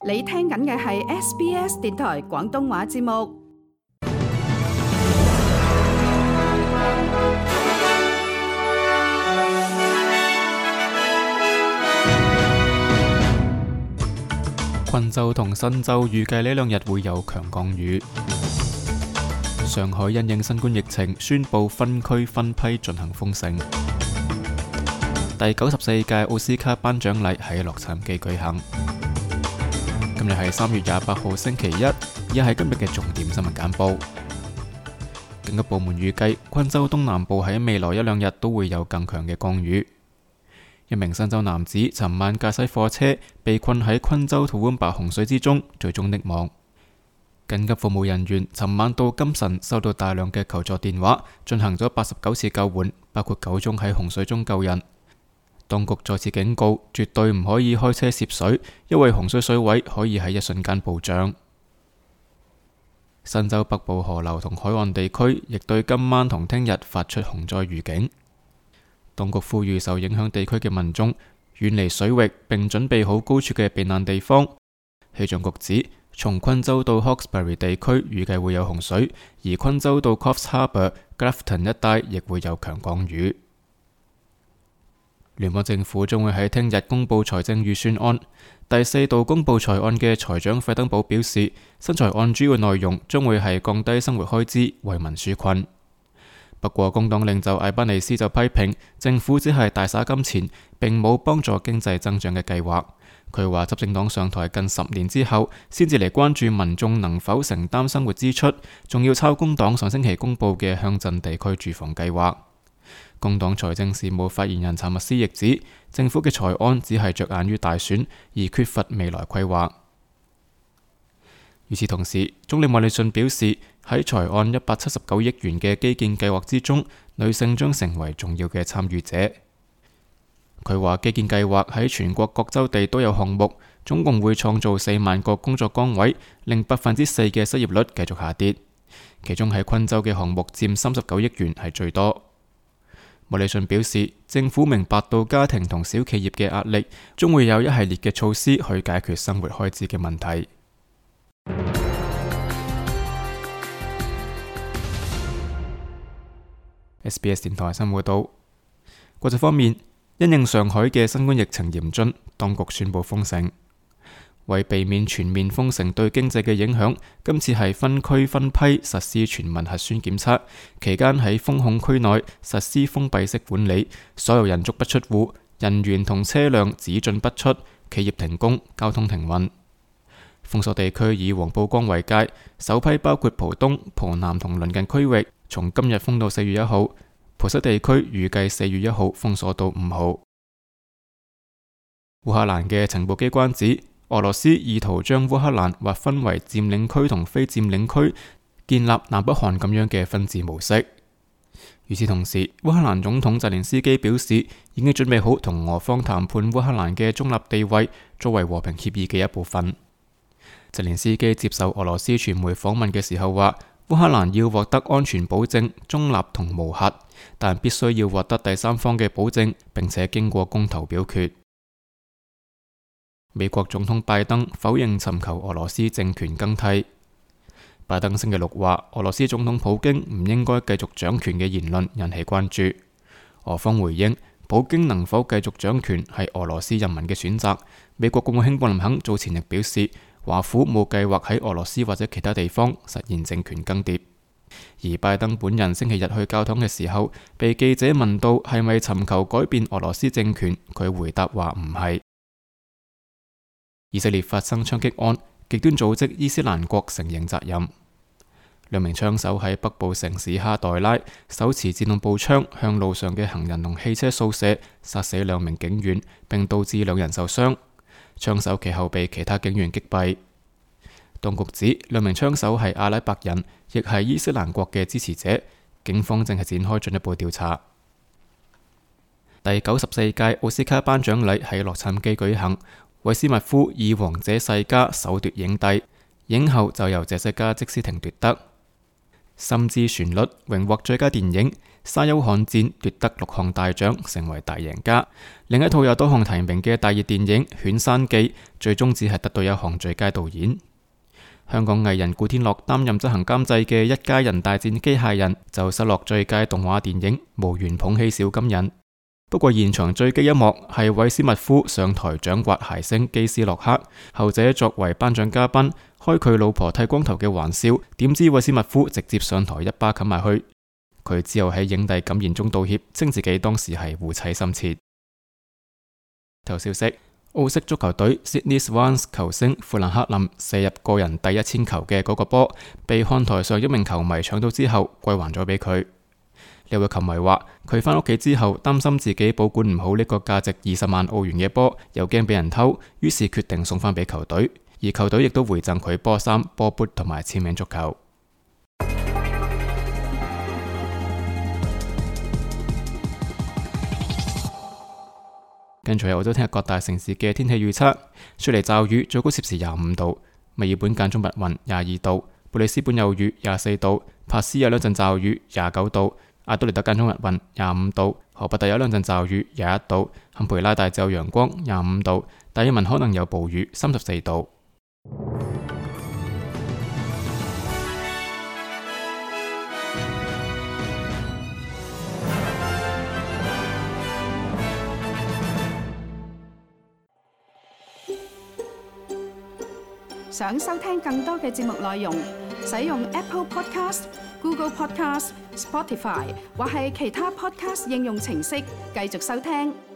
你聽緊嘅係 SBS 電台廣東話節目。昆州同新州預計呢兩日會有強降雨。上海因應新冠疫情，宣布分區分批進行封城。第94屆奧斯卡頒獎禮喺洛杉磯舉行。今日係3月28號星期一，以下係今日嘅重點新聞簡報。警級部門預計，昆州東南部喺未來一兩日都會有更強嘅降雨。一名新州男子尋晚駕駛貨車被困喺昆州土溫白洪水之中，最終溺亡。緊急服務人員尋晚到金晨收到大量嘅求助電話，進行咗89次救援，包括9宗喺洪水中救人。當局再次警告，絕對唔可以開車涉水，因為洪水水位可以喺一瞬間暴漲。新州北部河流同海岸地區亦對今晚同聽日發出洪災預警。當局呼籲受影響地區嘅民眾遠離水域，並準備好高處嘅避難地方。氣象局指，從昆州到 Hawkesbury 地區預計會有洪水，而昆州到 Coffs Harbour、Grafton 一帶亦會有強降雨。聯邦政府將會喺聽日公布財政預算案。第4度公布財案嘅財長費登堡表示，新財案主要內容將會係降低生活開支，為民紓困。不過，工黨領袖艾班尼斯就批評政府只係大灑金錢，並冇幫助經濟增長嘅計劃。佢話執政黨上台近10年之後，先至嚟關注民眾能否承擔生活支出，仲要抄工黨上星期公布嘅鄉鎮地區住房計劃。工黨財政事務發言人查密斯亦指，政府嘅財案只係着眼於大選，而缺乏未來規劃。與此同時，總理莫里遜表示，喺財案179億元嘅基建計劃之中，女性將成為重要嘅參與者。佢話基建計劃喺全國各州地都有項目，總共會創造4萬個工作崗位，令4%嘅失業率繼續下跌。其中喺昆州嘅項目佔39億元係最多。莫里遜表示，政府明白到家庭同小企業嘅壓力，將會有一系列嘅措施去解決生活開支嘅問題。SBS 電台新聞報道。國際方面，因應上海嘅新冠疫情嚴峻，當局宣布封城。為避免全面封城對經濟嘅影響，今次係分區分批實施全民核酸檢測，期間喺封控區內實施封閉式管理，所有人足不出戶，人員同車輛只進不出，企業停工，交通停運。封鎖地區以黃浦江為界，首批包括浦東、浦南同鄰近區域，從今日封到4月1號，浦西地區預計4月1號封鎖到5號。烏克蘭嘅情報機關指，俄羅斯意圖將烏克蘭劃分為佔領區同非佔領區，建立南北韓咁樣嘅分治模式。與此同時，烏克蘭總統澤連斯基表示，已經準備好同俄方談判烏克蘭嘅中立地位，作為和平協議嘅一部分。澤連斯基接受俄羅斯傳媒訪問嘅時候話，烏克蘭要獲得安全保證、中立同無核，但必須要獲得第三方嘅保證，並且經過公投表決。美國總統拜登否認尋求俄羅斯政權更替。拜登星期6話，俄羅斯總統普京唔應該繼續掌權嘅言論引起關注。俄方回應，普京能否繼續掌權係俄羅斯人民嘅選擇。美國國務卿布林肯早前亦表示，華府冇計劃喺俄羅斯或者其他地方實現政權更迭。而拜登本人星期日去教堂嘅時候，被記者問到係咪尋求改變俄羅斯政權，佢回答話唔係。以色列發生槍擊案，極端組織伊斯蘭國承認責任。2名槍手喺北部城市哈代拉手持自動步槍向路上嘅行人同汽車掃射，殺死2名警員，並導致2人受傷。槍手其後被其他警員擊斃。當局指2名槍手係阿拉伯人，亦係伊斯蘭國嘅支持者。警方正係展開進一步調查。第94屆奧斯卡頒獎禮喺洛杉磯舉行。韋斯密夫以《王者世家》首奪影帝，影后就由謝西嘉·積斯廷奪得。心之旋律榮獲最佳電影，沙丘瀚戰奪得6項大獎，成為大贏家。另一套有多項提名嘅大熱電影《犬山記》，最終只係得到1項最佳導演。香港藝人古天樂擔任執行監製嘅《一家人大戰機械人》就失落最佳動畫電影，無緣捧起小金人。不過現場最激一幕係韋斯密夫上台掌摑諧星基斯洛克，後者作為頒獎嘉賓，開佢老婆剃光頭嘅玩笑，點知韋斯密夫直接上台一巴冚埋去。佢之後喺影帝感言中道歉，稱自己當時係護妻心切。頭消息。澳式足球隊 Sydney Swans 球星富蘭克林射入個人第1000球嘅嗰個波，被看台上一名球迷搶到之後歸還咗俾佢。呢位球迷話佢返屋企之後擔心自己保管唔好呢個價值20萬澳元嘅波，又驚俾人偷，於是決定送返俾球隊，而球隊亦都回贈佢波衫、波砵同埋簽名足球。跟住係澳洲聽日各大城市嘅天氣預測：雪梨驟雨，最高攝氏25度；墨爾本間中密雲22度；布里斯本有雨24度；珀斯有2陣驟雨29度；阿德萊德間中密雲25度；荷伯特有2陣驟雨21度；坎培拉大致有陽光25度；達爾文可能有暴雨34度。想收聽更多嘅節目內容，使用 Apple Podcast、Google Podcast、Spotify 或係其他 Podcast 應用程式繼續收聽。